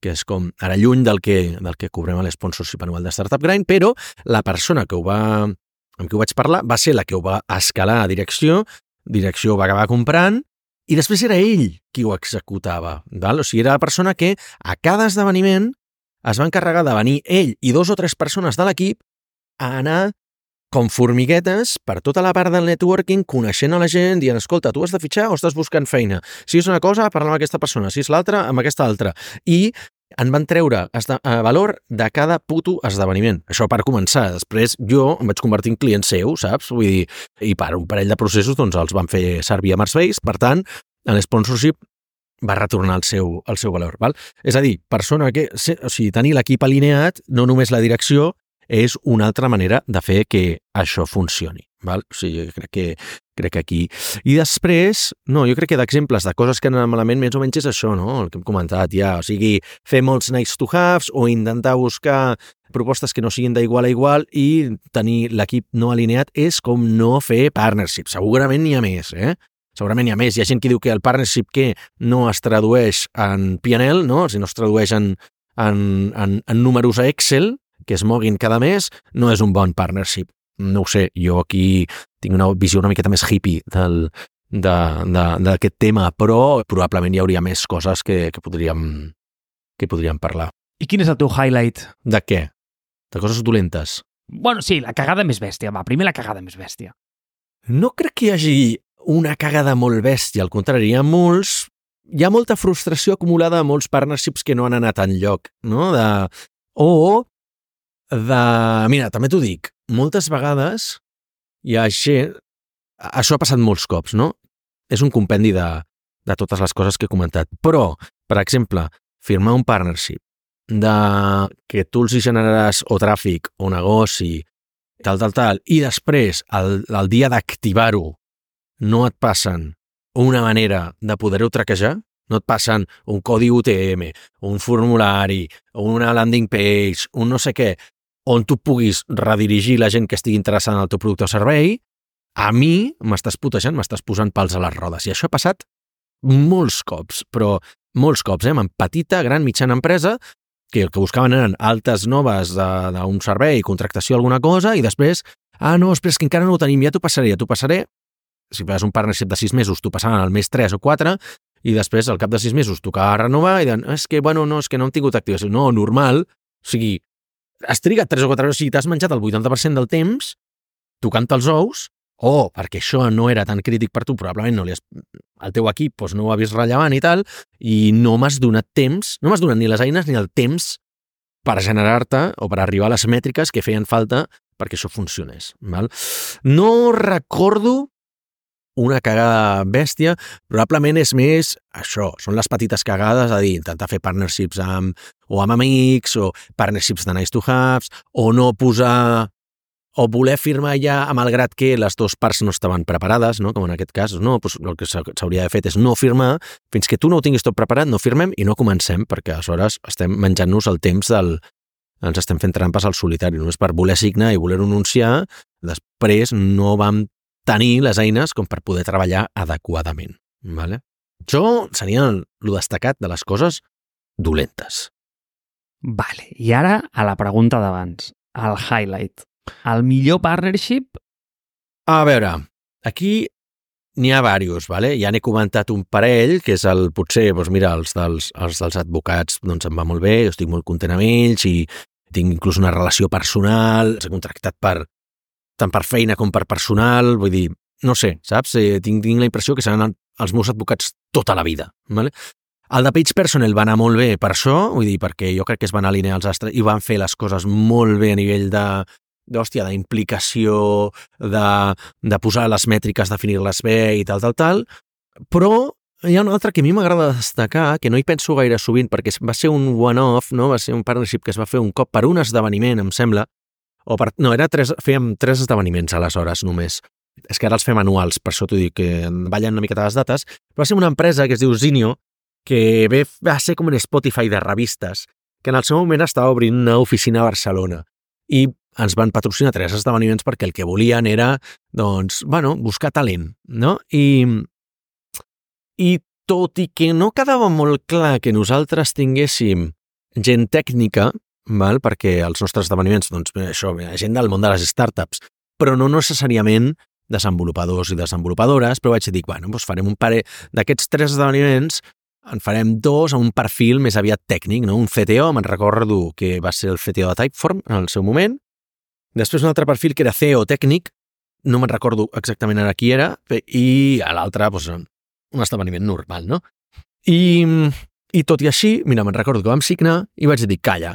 és com ara lluny del que cobrem a l'esponsorship anual de Startup Grind, però la persona amb qui ho vaig parlar va ser la que ho va escalar a direcció direcció va acabar comprant, i després era ell qui ho executava. Val? O sigui, era la persona que a cada esdeveniment es va encarregar de venir ell i 2 o 3 persones de l'equip a anar com formiguetes per tota la part del networking, coneixent a la gent, dient, escolta, tu has de fitxar o estàs buscant feina? Si és una cosa, parla amb aquesta persona, si és l'altra, amb aquesta altra. I en van treure valor de cada puto esdeveniment. Això per començar. Després jo em vaig convertir en client seu, saps? Vull dir, i per un parell de processos doncs els van fer servir a Marsbase, per tant, l'sponsorship va retornar el seu valor. Val? És a dir, persona que, o sigui, tenir l'equip alineat, no només la direcció, és una altra manera de fer que això funcioni. Val? O sigui, crec que aquí... I després, no, jo crec que d'exemples de coses que han anat malament més o menys és això, no? El que hem comentat ja. O sigui, fer molts nice to haves o intentar buscar propostes que no siguin d'igual a igual i tenir l'equip no alineat és com no fer partnership. Segurament n'hi ha més, Segurament n'hi ha més. Hi ha gent que diu que el partnership que no es tradueix en P&L, no? Si no es tradueix en números a Excel, que es moguin cada mes, no és un bon partnership. No ho sé, jo aquí tinc una visió una miqueta més hippie d'aquest tema, però probablement hi hauria més coses que podríem parlar. I quin és el teu highlight? De què? De coses dolentes? Bueno, sí, la cagada més bèstia. Va, primer la cagada més bèstia. No crec que hi hagi una cagada molt bèstia, al contrari, hi ha molta frustració acumulada a molts partnerships que no han anat enlloc, no? Mira, també t'ho dic, moltes vegades hi ha gent... Això ha passat molts cops, no? És un compendi de totes les coses que he comentat. Però, per exemple, firmar un partnership de que tu els hi generaràs o tràfic o negoci, tal, i després, el dia d'activar-ho, no et passen una manera de poder-ho traquejar, no et passen un codi UTM, un formulari, una landing page, un no sé què, on tu puguis redirigir la gent que estigui interessada en el teu producte o servei, a mi m'estàs putejant, m'estàs posant pals a les rodes. I això ha passat molts cops, però molts cops, amb petita, gran, mitjana empresa, que el que buscaven eren altes noves d'un servei, contractació, alguna cosa, i després, no, espera, és que encara no ho tenim, ja t'ho passaré. Si fas un partnership de 6 mesos, t'ho passaven al mes 3 o 4, i després, al cap de 6 mesos, tocava renovar, i diuen, és que no hem tingut activació. No, normal, o sigui, has trigat 3 o 4 hores, si t'has menjat el 80% del temps tocant-te els ous, o perquè això no era tan crític per tu, probablement el teu equip no ho ha vist rellevant i tal, i no m'has donat temps, no m'has donat ni les eines ni el temps per generar-te o per arribar a les mètriques que feien falta perquè això funcionés. Val? No recordo una cagada bèstia, probablement és més això, són les petites cagades, a dir, intentar fer partnerships amb amics, o partnerships de nice to haves, o no posar, o voler firmar ja, malgrat que les dues parts no estaven preparades, no? Com en aquest cas, no, doncs el que s'hauria de fer és no firmar, fins que tu no ho tinguis tot preparat, no firmem i no comencem, perquè aleshores estem menjant-nos el temps ens estem fent trampes al solitari, només per voler signar i voler anunciar, després no vam tenir les eines com per poder treballar adequadament. Vale? Això seria el destacat de les coses dolentes. Vale, i ara a la pregunta d'abans, el highlight. El millor partnership? A veure, aquí n'hi ha diversos, vale? Ja n'he comentat un parell, que és potser, mira, els dels advocats em va molt bé, jo estic molt content amb ells i tinc inclús una relació personal, s'ha contractat tant per feina com per personal, vull dir, no sé, saps? Tinc la impressió que seran els meus advocats tota la vida, vale? El de Page Personnel va anar molt bé per això, vull dir, perquè jo crec que es van alinear els astres i van fer les coses molt bé a nivell d'implicació, de posar les mètriques, definir-les bé i tal, però hi ha un altre que a mi m'agrada destacar, que no hi penso gaire sovint, perquè va ser un one-off, no? Va ser un partnership que es va fer un cop per un esdeveniment, em sembla, fèiem 3 esdeveniments aleshores només. És que ara els fem anuals, per això t'ho dic, que ballen una miqueta les dates, però va ser una empresa que es diu Zinio, que va ser com un Spotify de revistes, que en el seu moment estava obrint una oficina a Barcelona. I ens van patrocinar 3 esdeveniments perquè el que volien era, buscar talent, no? I tot i que no quedava molt clar que nosaltres tinguéssim gent tècnica, perquè els nostres esdeveniments, gent del món de les startups, però no necessàriament desenvolupadors i desenvolupadores, però vaig dir, bueno, doncs farem un parell d'aquests 3 esdeveniments, en farem 2 a un perfil més aviat tècnic, no? Un CTO, me'n recordo que va ser el CTO de Typeform en el seu moment, després un altre perfil que era CEO tècnic, no me'n recordo exactament ara qui era, i a l'altre, doncs, un esdeveniment normal, no? I tot i així, mira, me'n recordo que vam signar i vaig dir, calla,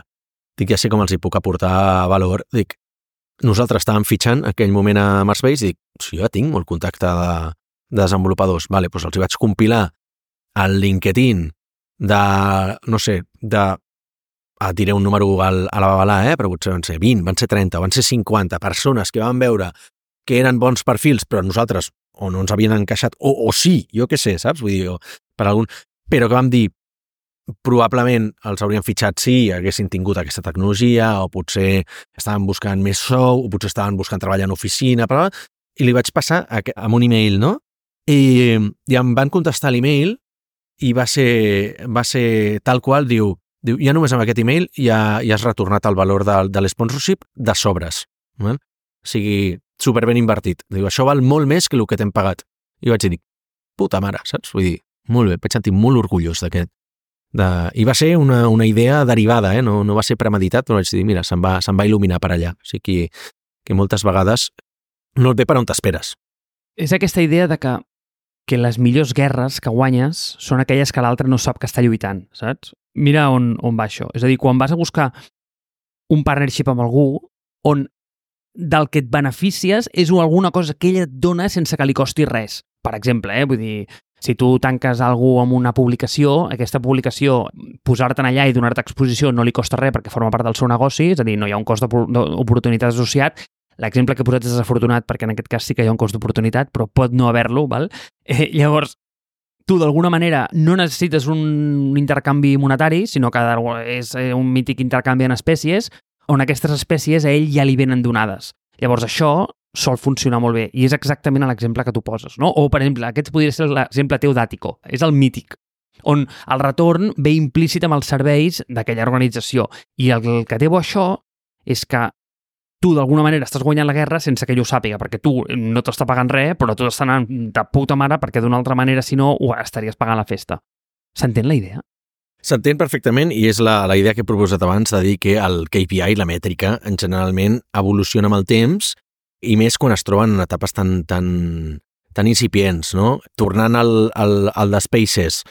dic, ja sé com els hi puc aportar valor, dic, nosaltres estàvem fitxant en aquell moment a Marsbase i dic, si jo ja tinc molt contacte de desenvolupadors, vale, doncs els hi vaig compilar al LinkedIn de, no sé, diré un número a la babalà, però potser van ser 20, van ser 30, van ser 50 persones que van veure que eren bons perfils, però nosaltres o no ens havien encaixat, o sí, jo què sé, saps? Vull dir, per algun... Però que vam dir, probablement els haurien fitxat si haguessin tingut aquesta tecnologia, o potser estaven buscant més sou, o potser estaven buscant treballar en oficina, però... i li vaig passar amb un email, no? I em van contestar l'email i va ser tal qual, diu, ja només amb aquest email ja has retornat el valor de l'sponsorship de sobres. Val? O sigui, superben invertit. Diu, això val molt més que el que t'hem pagat. I vaig dir, puta mare, saps? Vull dir, molt bé, vaig sentir molt orgullós d'aquest. I va ser una idea derivada, no va ser premeditat, però vaig dir, mira, se'n va il·luminar per allà. O sigui que moltes vegades no et ve per on t'esperes. És aquesta idea de que les millors guerres que guanyes són aquelles que l'altre no sap que està lluitant, saps? Mira on va això. És a dir, quan vas a buscar un partnership amb algú on del que et beneficies és alguna cosa que ella et dona sense que li costi res. Per exemple, vull dir, si tu tanques algú amb una publicació, aquesta publicació, posar-te'n allà i donar-te exposició no li costa res perquè forma part del seu negoci, és a dir, no hi ha un cost d'oportunitat associat. L'exemple que he posat és desafortunat perquè en aquest cas sí que hi ha un cost d'oportunitat, però pot no haver-lo, val? Llavors, tu d'alguna manera no necessites un intercanvi monetari, sinó que és un mític intercanvi en espècies, on aquestes espècies a ell ja li venen donades. Llavors això sol funcionar molt bé, i és exactament l'exemple que tu poses, no? O, per exemple, aquest podria ser l'exemple teu d'Àtico, és el mític, on el retorn ve implícit amb els serveis d'aquella organització. I el que té bo això és que tu d'alguna manera estàs guanyant la guerra sense que ell ho sàpiga, perquè tu no t'està pagant res, però tu t'estàs anant de puta mare perquè d'una altra manera, si no, ho estaries pagant la festa. S'entén la idea? S'entén perfectament i és la idea que he proposat abans de dir que el KPI, la mètrica, en generalment evoluciona amb el temps i més quan es troben en etapes tan incipients, no? Tornant al de Spaces,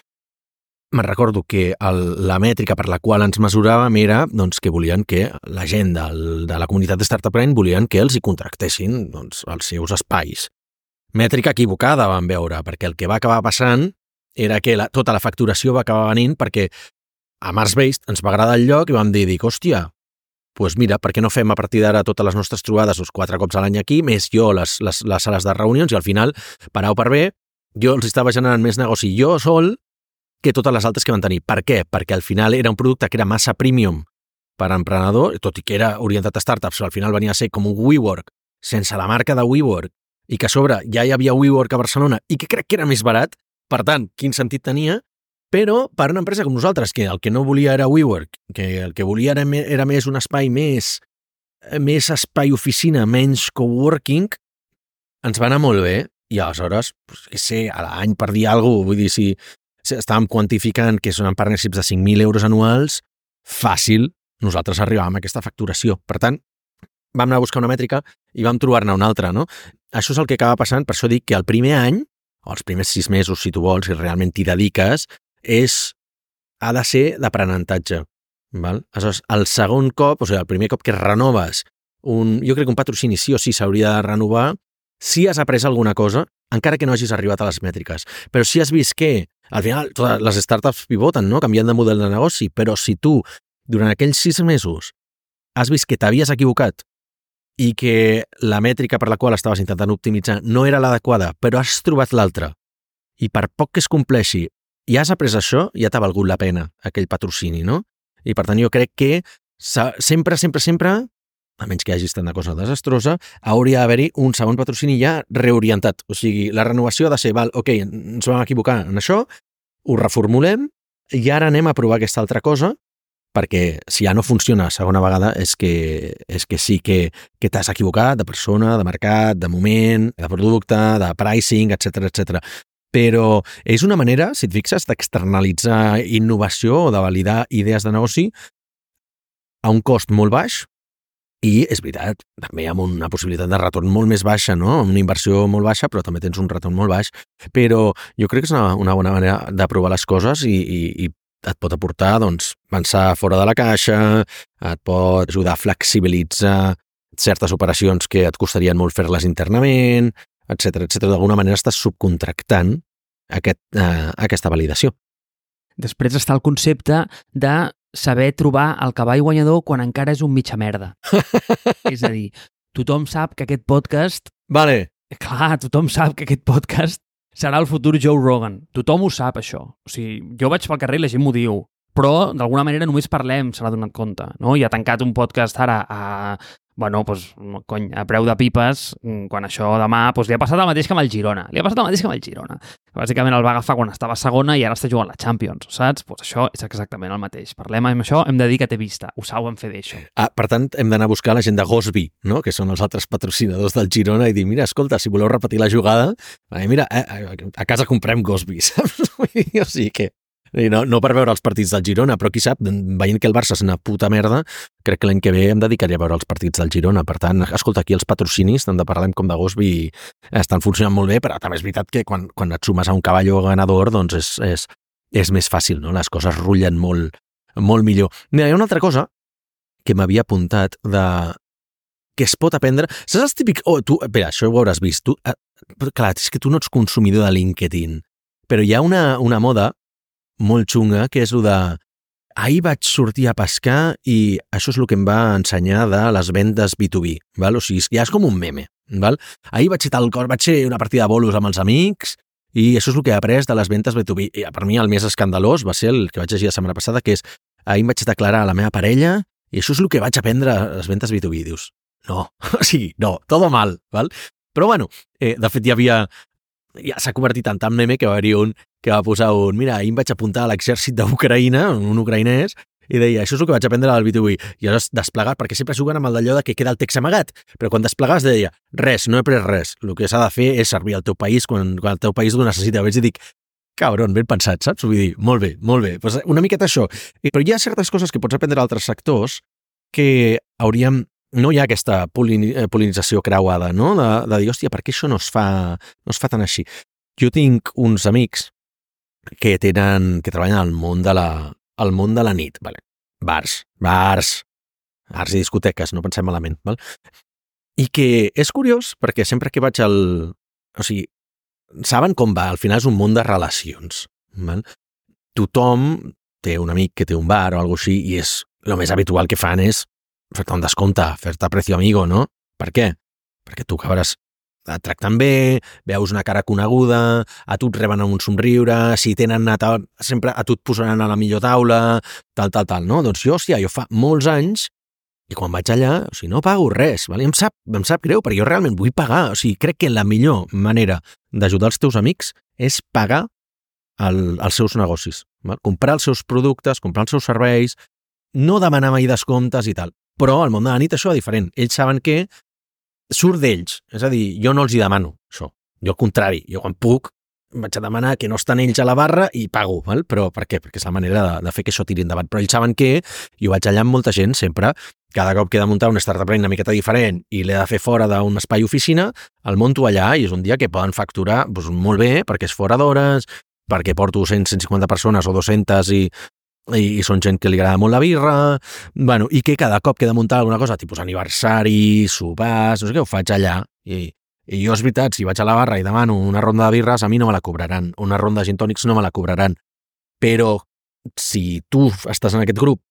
me'n recordo que la mètrica per la qual ens mesuràvem era doncs, que volien que la gent de la comunitat de Startup Grind volien que els hi contractessin doncs, els seus espais. Mètrica equivocada vam veure, perquè el que va acabar passant era que tota la facturació va acabar venint perquè a Marsbase ens va agradar el lloc i vam dir, hòstia, doncs mira, per què no fem a partir d'ara totes les nostres trobades 4 cops a l'any aquí, més jo les sales de reunions, i al final, per A o per B, jo els estava generant més negoci jo sol que totes les altres que van tenir. Per què? Perquè al final era un producte que era massa premium per a emprenedor, tot i que era orientat a startups, però al final venia a ser com un WeWork, sense la marca de WeWork, i que a sobre ja hi havia WeWork a Barcelona i que crec que era més barat. Per tant, quin sentit tenia? Però per una empresa com nosaltres, que el que no volia era WeWork, que el que volia era més un espai més espai oficina, menys coworking, ens va anar molt bé. I aleshores, què sé, a l'any per dir alguna cosa, vull dir, si estàvem quantificant que són partnerships de 5.000 euros anuals, fàcil, nosaltres arribàvem a aquesta facturació. Per tant, vam anar a buscar una mètrica i vam trobar-ne una altra, no? Això és el que acaba passant, per això dic que el primer any, o els primers 6 mesos, si tu vols, si realment t'hi dediques, ha de ser d'aprenentatge. Aleshores, el segon cop, o sigui, el primer cop que renoves, jo crec que un patrocini sí o sí s'hauria de renovar, si has après alguna cosa, encara que no hagis arribat a les mètriques. Però si has vist que, al final, totes les startups pivoten, no? Canviant de model de negoci, però si tu, durant aquells 6 mesos, has vist que t'havies equivocat i que la mètrica per la qual estaves intentant optimitzar no era l'adequada, però has trobat l'altra, i per poc que es compleixi i has après això, ja t'ha valgut la pena aquell patrocini, no? I per tant jo crec que sempre, a menys que hi hagi estat una cosa desastrosa, hauria d'haver-hi un segon patrocini ja reorientat. O sigui, la renovació ha de ser, ok, ens vam equivocar en això, ho reformulem i ara anem a provar aquesta altra cosa perquè si ja no funciona segona vegada és que sí que t'has equivocat de persona, de mercat, de moment, de producte, de pricing, etc. Però és una manera, si et fixes, d'externalitzar innovació o de validar idees de negoci a un cost molt baix i, és veritat, també amb una possibilitat de retorn molt més baixa, no? Una inversió molt baixa, però també tens un retorn molt baix. Però jo crec que és una bona manera de provar les coses i et pot aportar, doncs, pensar fora de la caixa, et pot ajudar a flexibilitzar certes operacions que et costarien molt fer-les internament, etc. D'alguna manera estàs subcontractant aquesta validació. Després està el concepte de saber trobar el cavall guanyador quan encara és un mitja merda. És a dir, tothom sap que aquest podcast... Vale. Clar, tothom sap que aquest podcast serà el futur Joe Rogan. Tothom ho sap, això. O sigui, jo vaig pel carrer i la gent m'ho diu, però d'alguna manera només parlem, se n'ha donat compte, no? I ha tancat un podcast ara a preu de pipes, quan això demà li ha passat el mateix que amb el Girona. Bàsicament el va agafar quan estava a segona i ara està jugant la Champions, saps? Això és exactament el mateix. Parlem amb això, hem de dir que té vista. Ho saben fer d'això. Per tant, hem d'anar a buscar la gent de Gosby, no? Que són els altres patrocinadors del Girona, i dir, mira, escolta, si voleu repetir la jugada, mira, a casa comprem Gosby, saps? O sigui que... No per veure els partits del Girona, però qui sap, veient que el Barça és una puta merda, crec que l'any que ve em dedicaré a veure els partits del Girona. Per tant, escolta, aquí els patrocinis, tant de Parlem com de Gosby, estan funcionant molt bé, però també és veritat que quan et sumes a un cavall ganador, doncs és més fàcil, no? Les coses rutllen molt millor. Mira, hi ha una altra cosa que m'havia apuntat que es pot aprendre. Saps el típic... Espera, això ho hauràs vist. Clar, és que tu no ets consumidor de LinkedIn, però hi ha una moda molt xunga, que és el de ahir vaig sortir a pescar i això és el que em va ensenyar de les vendes B2B, val? O sigui, ja és com un meme, val? Ahir vaig fer una partida de bolos amb els amics i això és el que he après de les vendes B2B. I per mi el més escandalós va ser el que vaig llegir la setmana passada, que és ahir em vaig declarar a la meva parella i això és el que vaig aprendre a les vendes B2B. Dius, no, no, todo mal, val? Però bueno, de fet ja s'ha convertit en tant meme que va haver-hi un que va posar mira, ahir em vaig apuntar a l'exèrcit d'Ucraïna, un ucraïnès, i deia, això és el que vaig aprendre al B2B. I aleshores desplegat, perquè sempre juguen amb el d'allò que queda el text amagat, però quan desplegaves deia, res, no he pres res, el que s'ha de fer és servir al teu país quan el teu país ho necessita. I dic, cabron, ben pensat, saps? Vull dir, molt bé. Pues una miqueta això. Però hi ha certes coses que pots aprendre d'altres sectors que hauríem... No hi ha aquesta polinització creuada, no? De dir, hòstia, per què això no es fa tan així? Jo tinc uns amics que treballen al món de la nit, vale? Bars i discoteques, no pensem malament, val? I que és curiós perquè sempre que vaig o sigui, saben com va, al final és un món de relacions, val? Tothom té un amic que té un bar o alguna cosa així i és el més habitual que fan és fer-te un descompte, fer-te precio amigo, no? Per què? Perquè tu acabaràs et tracten bé, veus una cara coneguda, a tu et reben amb un somriure, si tenen sempre a tu et posaran a la millor taula, tal, no? Doncs jo fa molts anys, i quan vaig allà, o sigui, no pago res, val? I em sap greu, perquè jo realment vull pagar, o sigui, crec que la millor manera d'ajudar els teus amics és pagar els seus negocis, val? Comprar els seus productes, comprar els seus serveis, no demanar mai descomptes i tal. Però al món de la nit això és diferent. Ells saben que surt d'ells. És a dir, jo no els hi demano això. Jo al contrari, jo quan puc vaig a demanar que no estan ells a la barra i pago, val? Però per què? Perquè és la manera de fer que això tiri endavant. Però ells saben que jo vaig allà amb molta gent sempre, cada cop que he de muntar un startup una miqueta diferent i l'he de fer fora d'un espai oficina, el munto allà i és un dia que poden facturar doncs, molt bé perquè és fora d'hores, perquè porto 150 persones o 200 i són gent que li agrada molt la birra, bueno, i que cada cop que he de muntar alguna cosa, tipus aniversari, sopars, no sé què, ho faig allà. I jo, és veritat, si vaig a la barra i demano una ronda de birres, a mi no me la cobraran. Una ronda de gin tònics no me la cobraran. Però si tu estàs en aquest grup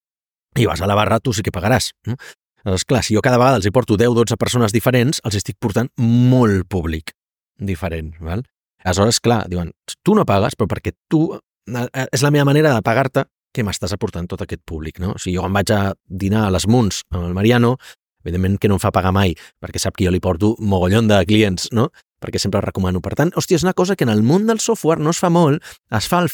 i vas a la barra, tu sí que pagaràs. Aleshores, clar, si jo cada vegada els hi porto 10-12 persones diferents, els estic portant molt públic diferent, val? Aleshores, clar, diuen, tu no pagues, però perquè tu... És la meva manera de pagar-te que m'estàs aportant tot aquest públic, no? O sigui, jo em vaig a dinar a les Munts amb el Mariano, evidentment que no em fa pagar mai, perquè sap que jo li porto mogollon de clients, no? Perquè sempre el recomano. Per tant, hòstia, és una cosa que en el món del software no es fa molt, es fa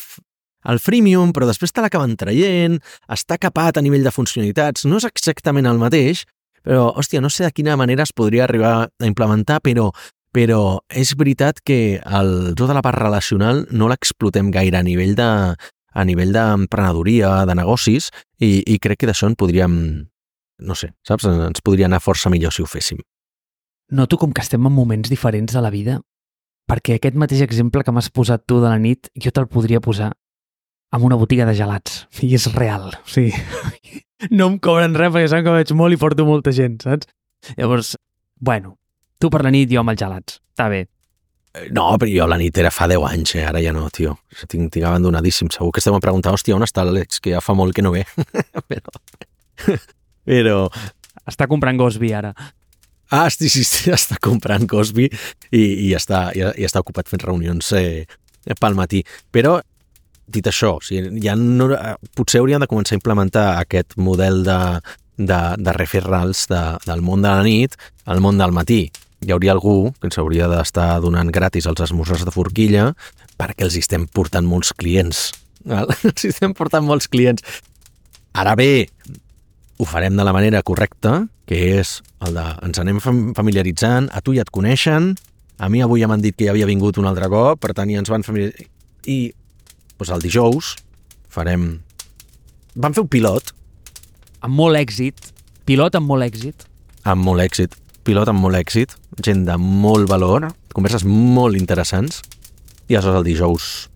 el freemium, però després te l'acaben traient, està capat a nivell de funcionalitats, no és exactament el mateix, però, hòstia, no sé de quina manera es podria arribar a implementar, però és veritat que tota la part relacional no l'explotem gaire a nivell d'emprenedoria, de negocis, i crec que d'això en podríem, no sé, saps? Ens podria anar força millor si ho féssim. Noto com que estem en moments diferents de la vida, perquè aquest mateix exemple que m'has posat tu de la nit, jo te'l podria posar en una botiga de gelats, i és real, o sigui, no em cobren res perquè saben que veig molt i porto molta gent, saps? Llavors, bueno, tu per la nit, jo amb els gelats, està bé. No, però jo la nit era fa 10 anys, ara ja no, tio. Tinc abandonadíssim. Segur que estem a preguntar, hòstia, on està l'Àlex, que ja fa molt que no ve. però... Està comprant Gosby ara. Sí, està comprant Gosby i està ocupat fent reunions pel matí. Però, dit això, o sigui, ja no, potser hauríem de començar a implementar aquest model de referrals del món de la nit al món del matí. Hi hauria algú que ens hauria d'estar donant gratis els esmorzars de forquilla perquè els estem portant molts clients. Els estem portant molts clients. Ara bé, ho farem de la manera correcta, que és el de ens anem familiaritzant, a tu ja et coneixen, a mi avui ja m'han dit que ja havia vingut un altre cop, per tant ja ens van familiaritzar. I doncs el dijous vam fer un pilot. Amb molt èxit. Pilot amb molt èxit. Amb molt èxit. Pilot amb molt èxit. Gent de molt valor. Converses molt interessants. I aleshores el dijous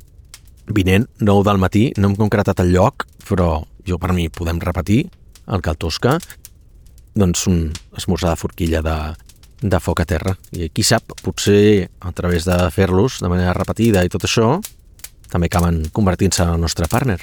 vinent, 9 del matí, no hem concretat el lloc, però jo per mi podem repetir el Cal Tosca, doncs un esmorzar de forquilla de foc a terra. I qui sap, potser a través de fer-los de manera repetida i tot això, també acaben convertint-se en el nostre partner.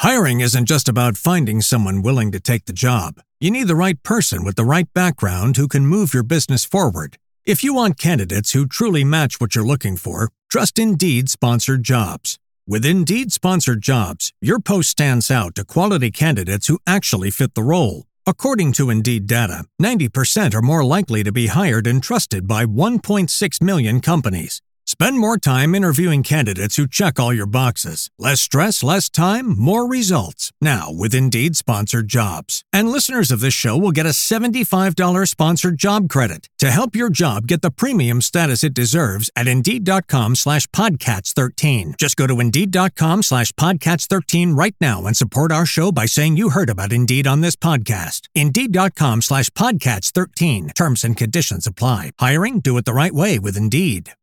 Hiring isn't just about finding someone willing to take the job. You need the right person with the right background who can move your business forward. If you want candidates who truly match what you're looking for, trust Indeed Sponsored Jobs. With Indeed Sponsored Jobs, your post stands out to quality candidates who actually fit the role. According to Indeed data, 90% are more likely to be hired and trusted by 1.6 million companies. Spend more time interviewing candidates who check all your boxes. Less stress, less time, more results. Now with Indeed Sponsored Jobs. And listeners of this show will get a $75 sponsored job credit to help your job get the premium status it deserves at Indeed.com/Podcats13. Just go to Indeed.com/Podcats13 right now and support our show by saying you heard about Indeed on this podcast. Indeed.com/Podcats13. Terms and conditions apply. Hiring? Do it the right way with Indeed.